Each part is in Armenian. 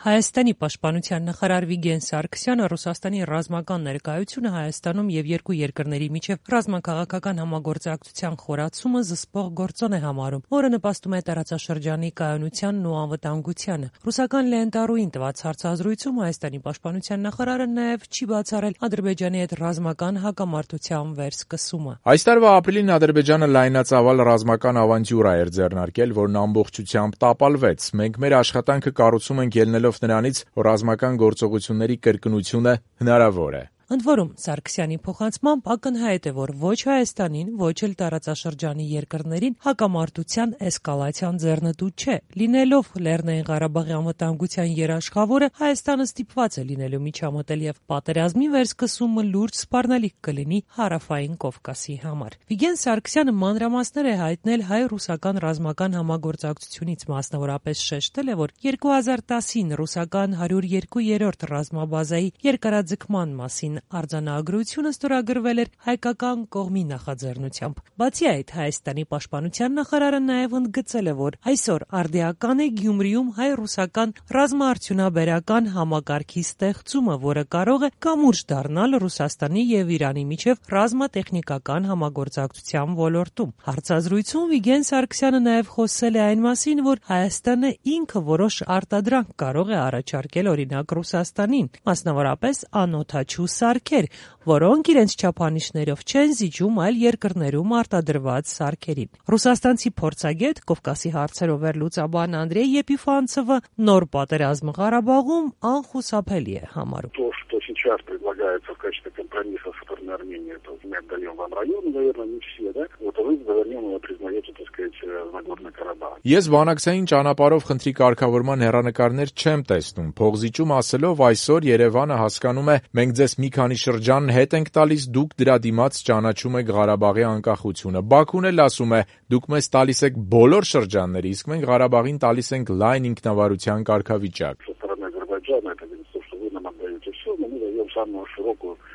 Հայաստանի պաշտպանության նախարար Վիգեն Սարգսյանը Ռուսաստանի ռազմական ներկայությունը Հայաստանում եւ երկու երկրների միջև ռազմաքաղաքական համագործակցության խորացումը զսպող գործոն է համարում, որը նպաստում է տարածաշրջանի կայունությանն ու անվտանգությանը։ Ռուսական լենտարույին տված հարցազրույցում Հայաստանի պաշտպանության նախարարը նաեւ չի բացառել Ադրբեջանի հետ ռազմական հակամարտության վերսկսումը։ Այս տարվա ապրիլին Ադրբեջանը լայնածավալ ռազմական ավանտյուրա էր ձեռնարկել, որն ամբողջությամբ տապալվեց։ Մենք մեր աշխատանքը կառուցում ենք ելնելով նրանից, որ ռազմական գործողությունների կրկնությունը հնարավոր է։ Ընդ որում, Սարգսյանի փոխանցմամբ ակնհայտ է, որ ոչ Հայաստանին, ոչ էլ տարածաշրջանի երկրներին հակամարտության էսկալացիան ձեռնտու չէ։ Լինելով Լեռնային Ղարաբաղի անվտանգության երաշխավորը, Հայաստանը ստիպված է լինելու միջամտել եւ պատերազմի վերսկսումը լուրջ սպառնալիք կլինի Հարավային Կովկասի համար։ Վիգեն Սարգսյանը մանրամասներ է հայտնել հայ-ռուսական ռազմական համագործակցությունից, մասնավորապես շեշտել է, որ 2010-ին ռուսական 102-րդ ռազմաբազայի երկարաձգման մասին արձանագրությունը ստորագրվել էր հայկական կողմի նախաձեռնությամբ։ Բացի այդ, Հայաստանի պաշտպանության նախարարը նաև ընդգծել է, որ այսօր արդիական է Գյումրիում հայ-ռուսական ռազմաարդյունաբերական համակարգի ստեղծումը, որը կարող է կամուրջ դառնալ Ռուսաստանի եւ Իրանի միջև ռազմատեխնիկական համագործակցության ոլորտում։ Հարցազրույցում Վիգեն Սարգսյանը նաև խոսել է այն մասին, որ Հայաստանը ինքը որոշ արտադրանք կարող է առաջարկել օրինակ Ռուսաստանին, մասնավորապես անօդաչու սարքեր, որոնք իրենց չափանիշներով չեն զիջում այլ երկրներում արտադրված սարքերին։ Ռուսաստանցի փորձագետ, Կովկասի հարցերով վերլուծաբան Անդրեյ Եպիֆանցովը նոր պատերազմը Ղարաբաղում անխուսափելի է համարում։ Что сейчас предлагается в качестве компромисса со стороны Армении, это мы отдаем вам районы, наверное, не все, да? Вот вы заверненно признаете, так сказать, Нагорный Карабах. Ես բանակցային ճանապարհով խնդրի կարգավորման հեռանկարներ չեմ տեսնում։ Փողզիջում ասելով այսօր Երևանը հասկանում է, մենք ձեզ մի քանի շրջան հետ ենք տալիս, դուք դրա դիմաց ճանաչում եք Ղարաբաղի անկախությունը։ Բաքուն էլ ասում է, դուք մեզ տալիս եք բոլոր շրջանները, իսկ մենք Ղարաբաղին տալիս ենք լայն ինքնավարության կարգավիճակ։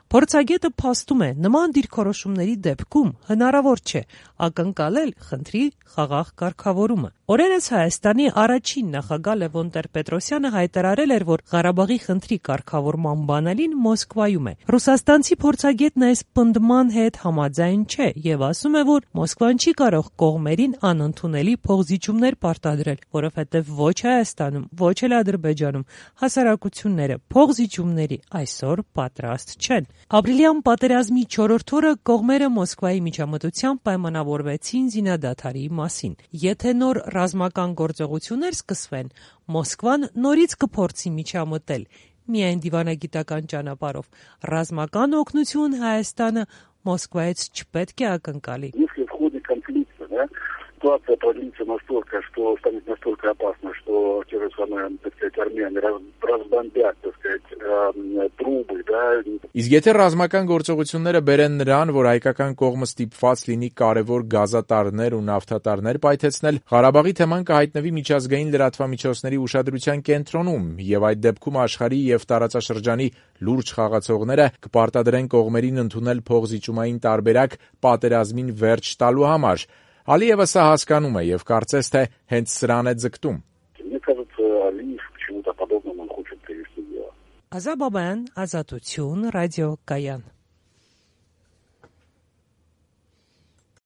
Փորձագետը փաստում է, նման դիրքորոշումների դեպքում հնարավոր չէ ակնկալել խնդրի խաղաղ կարգավորումը։ Օրերս Հայաստանի առաջին նախագահ Լևոն Տեր-Պետրոսյանը հայտարարել էր, որ Ղարաբաղի խնդրի կարգավորման բանալին Մոսկվայում է։ Ռուսաստանցի փորձագետն այս պնդման հետ համաձայն չէ եւ ասում է, որ Մոսկվան չի կարող կողմերին անընդունելի փողզիջումներ պարտադրել, որովհետեւ ոչ Հայաստանում, ոչ էլ Ադրբեջանում հասարակությունները փողզիջումների այսօր պատրաստ չեն։ Ապրիլյան պատերազմի 4-րդ օրը կողմերը Մոսկվայի միջամտությամբ պայմանավորվեցին զինադադարի մասին։ Եթե նոր ռազմական գործողություններ սկսվեն, Մոսկվան նորից կփորձի միջամտել, միայն դիվանագիտական ճանապարհով։ Ռազմական օգնություն Հայաստանը Մոսկվայից չպետք է ակնկալի։ Ситуация продлится настолько, что станет настолько опасно, что те же самые, так сказать, армяне разбомбят, так сказать, трубы, да. Իսկ եթե ռազմական գործողությունները բերեն նրան, որ հայկական կողմը ստիպված լինի կարևոր գազատարներ ու նավթատարներ պայթեցնել, Ղարաբաղի թեման կհայտնվի միջազգային լրատվամիջոցների ուշադրության կենտրոնում, եւ այդ դեպքում աշխարհի եւ տարածաշրջանի լուրջ խաղացողները կպարտադրեն կողմերին ընդունել փողզիջումային տարբերակ պատերազմին վերջ տալու համար։ Ալիևը սա հասկանում է եւ կարծես թե հենց սրան է ձգտում։ Ազա Բաբայան, Ազատություն, ռադիո Կայան։